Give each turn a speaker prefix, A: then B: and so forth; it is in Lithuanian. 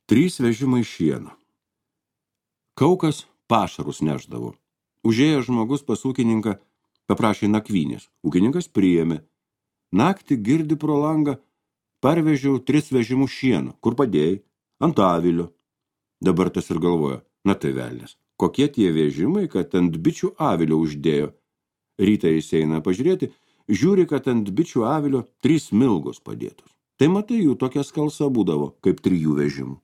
A: 3 vežimai šieno. Kaukas pašarus neždavo. Užėjęs žmogus pas ūkininką paprašė nakvynės. Ūkininkas priėmė. Naktį girdi pro langą, parvežiau 3 vežimus šieno. Kur padėjai? Ant avilio. Dabar tas ir galvoja, na tai velnias. Kokie tie vežimai, kad ant bičių avilio uždėjo. Rytą jis eina pažiūrėti, žiūri, kad ant bičių avilio 3 smilgos padėtos. Tai matai, jų tokia skalsa būdavo, kaip 3 vežimų.